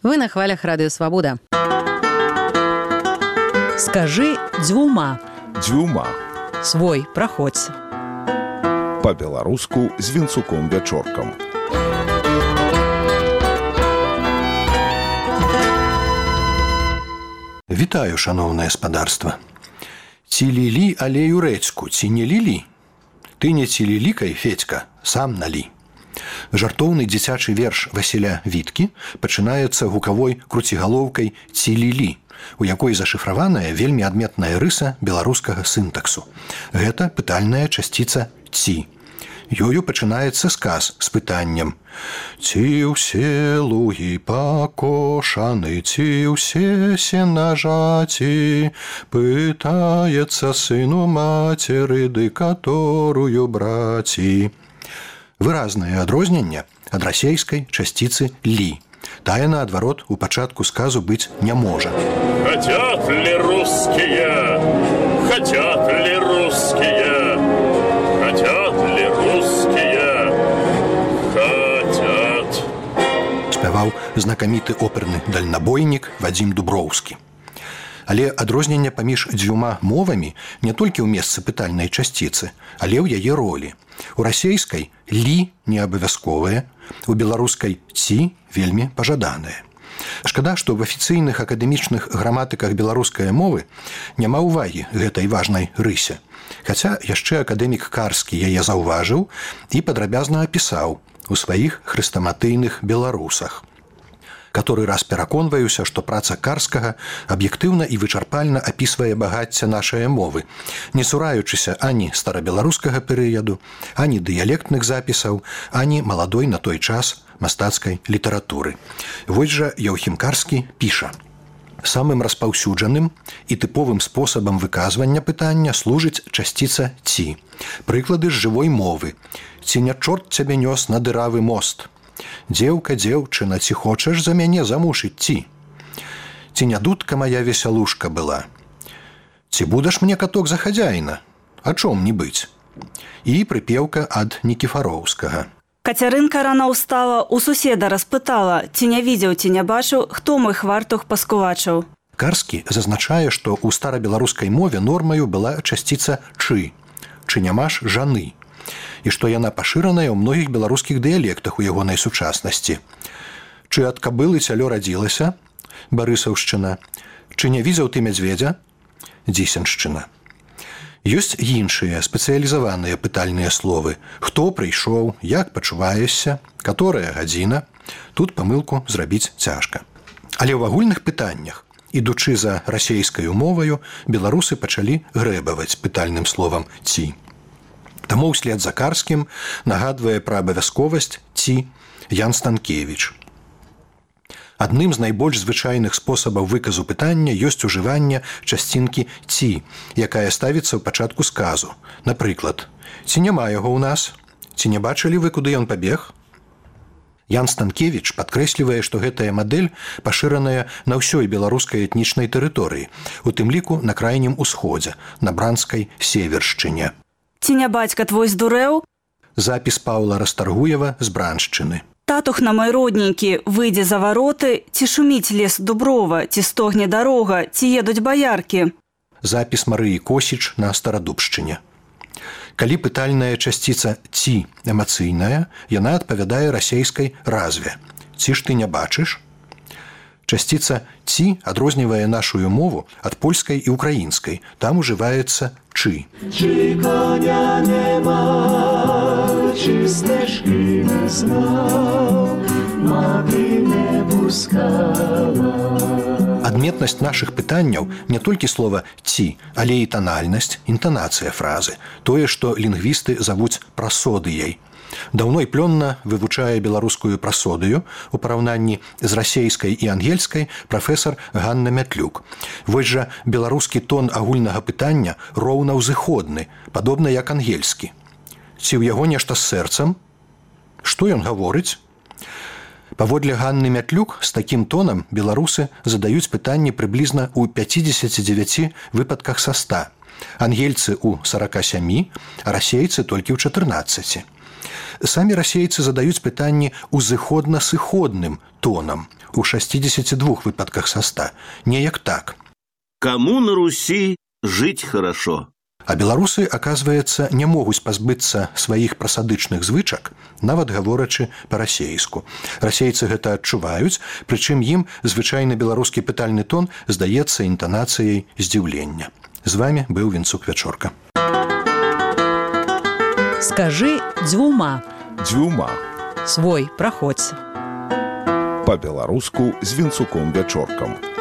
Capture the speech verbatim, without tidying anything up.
Вы на хвалях Радио Свобода. Скажи дзвюма. Дзвюма. Свой, праходзь. Па-беларуску з Вінцуком Вячоркам. Вітаю, шановнае спадарства. Ці лілі алею рэцку, ці не лілі? Ты не ці лілікай, Федька, сам налí. Жартоўны дзіцячы верш Васіля Віткі пачынаецца гукавой круцігалоўкай «ці лілі», у якой зашыфраваная вельмі адметная рыса беларускага сінтаксу. Гэта пытальная часціца «ці». Ёю пачынаецца сказ з пытаннем «Ці ўсе лугі пакошаны, ці ўсе сенажаці?» Пытаецца сыну мацеры, ды каторую браці. Выразнае адрозненне ад расейскай часціцы «лі». Тая, наадварот, у пачатку сказу быць не можа. Хотят ли русские? Хотят ли русские? Хотят ли русские? Хотят. Спяваў знакаміты оперны дальнабойнік Вадзім Дуброўскі. Але адрозненне паміж дзвюма мовамі не толькі ў месцы пытальнай часціцы, але ў яе ролі. У расейскай «лі» не абавязковае, у беларускай «ці» вельмі пажаданае. Шкада, што в афіцыйных акадэмічных граматыках беларускай мовы няма ўвагі гэтай важнай рысе. Хаця яшчэ акадэмік Карскі яе заўважыў і падрабязна апісаў у сваіх хрэстаматыйных беларусах. Каторы раз пераконваюся, што праца Карскага аб'ектыўна і вычарпальна апісвае багацце нашай мовы, не цураючыся ані старабеларускага перыяду, ані дыялектных запісаў, ані маладой на той час мастацкай літаратуры. Вось жа Яўхім Карскі піша: «Самым распаўсюджаным і тыповым спосабам выказвання пытання служыць часціца «ці». Прыклады з жывой мовы. «Ці не чорт цябе нёс на дыравы мост?» «Дзеўка, дзеўчына, ці хочаш за мяне замуж ідці?» «Ці не дудка моя весялушка была?» «Ці будаш мне каток за хадзяіна? А чом не быць?» І прыпеўка ад Нікіфароўскага. Кацярынка рана ўстала, у суседа распытала, ці не видзеў, ці не бачыў, хто мой хвартух паскувачыў. Карскі зазначае, што ў старабеларускай мове нормаю была часціца «чы», «чы нямаш жаны», і што яна пашыраная ў многіх беларускіх дыялектах у ягонай сучаснасці. «Чы ад кабылы цялё радзілася?» Барысаўшчына. «Чы не видзеў ты мядзведзя?» Дзісеншчына. Ёсць іншыя спецыялізаваныя пытальныя словы. «Хто прыйшоў?», «Як пачуваешся?», «Каторая гадзіна?». Тут памылку зрабіць цяжка. Але ў агульных пытаннях, ідучы за расейскаю моваю, беларусы пачалі грэбаваць пытальным словам «ці». Таму ўслед за Карскім нагадвае пра абавязковасць «ці» Ян Станкевіч. Адным з найбольш звычайных спосабаў выказу пытання ёсць ужыванне часцінкі «ці», якая ставіцца ў пачатку сказу. Напрыклад, «Ці няма яго ў нас?» «Ці не бачылі вы, куды ён пабег?» Ян Станкевіч падкрэслівае, што гэтая мадэль пашыраная на ўсёй беларускай этнічнай тэрыторыі, у тым ліку на крайнім усходзе, на бранскай севершчыне. «Ці не бацька твой здурэў?» Запіс Паўла Растаргуева з Браншчыны. «Татухна мой родненькі, выйдзе за вароты, ці шуміць лес дуброва, ці стогне дарога, ці едуць баяркі?» Запіс Марыі Косіч на Старадубшчыне. Калі пытальная часціца «ці» эмацыйная, яна адпавядае расейскай разве. «Ці ж ты не бачыш?» Часціца «ці» адрознівае нашую мову ад польскай і украінскай. Там ужываецца «чы». Чи коня нема, чи стежки не знав, мати не пускала. Адметнасць нашых пытанняў не толькі слова «ці», але і танальнасць, інтанацыя фразы, тое, што лінгвісты завуць прасодыяй. Даўно і плённа вывучае беларускую прасодыю у параўнанні з расейскай і ангельскай прафесар Ганна Мятлюк. Вось жа беларускі тон агульнага пытання роўна ўзыходны, падобна як ангельскі. Ці ў яго нешта з сэрцам? Што ён гаворыць? Паводле Ганны Мятлюк з такім тонам беларусы задаюць пытанні прыблізна ў пяцідзесяці дзевяці выпадках са ста. Ангельцы ў сарака сямі, а расейцы толькі ў чатырнаццаці. Самі расейцы задаюць пытанні узыходна-сыходным тонам у шестидесяти двух выпадках са ста. Неяк так. Кому на Руси жить хорошо? А беларусы, оказывается, не могуць пазбыцца сваіх прасадычных звычак, нават гаворачы па-расейску. Расейцы гэта адчуваюць, прычым ім звычайны беларускі пытальны тон здаецца інтанацыяй здзіўлення. З вами быў Вінцук Вячорка. Скажы дзвюма. Дзвюма. Свой праходзь. Па-беларуску з Вінцуком Вячоркам.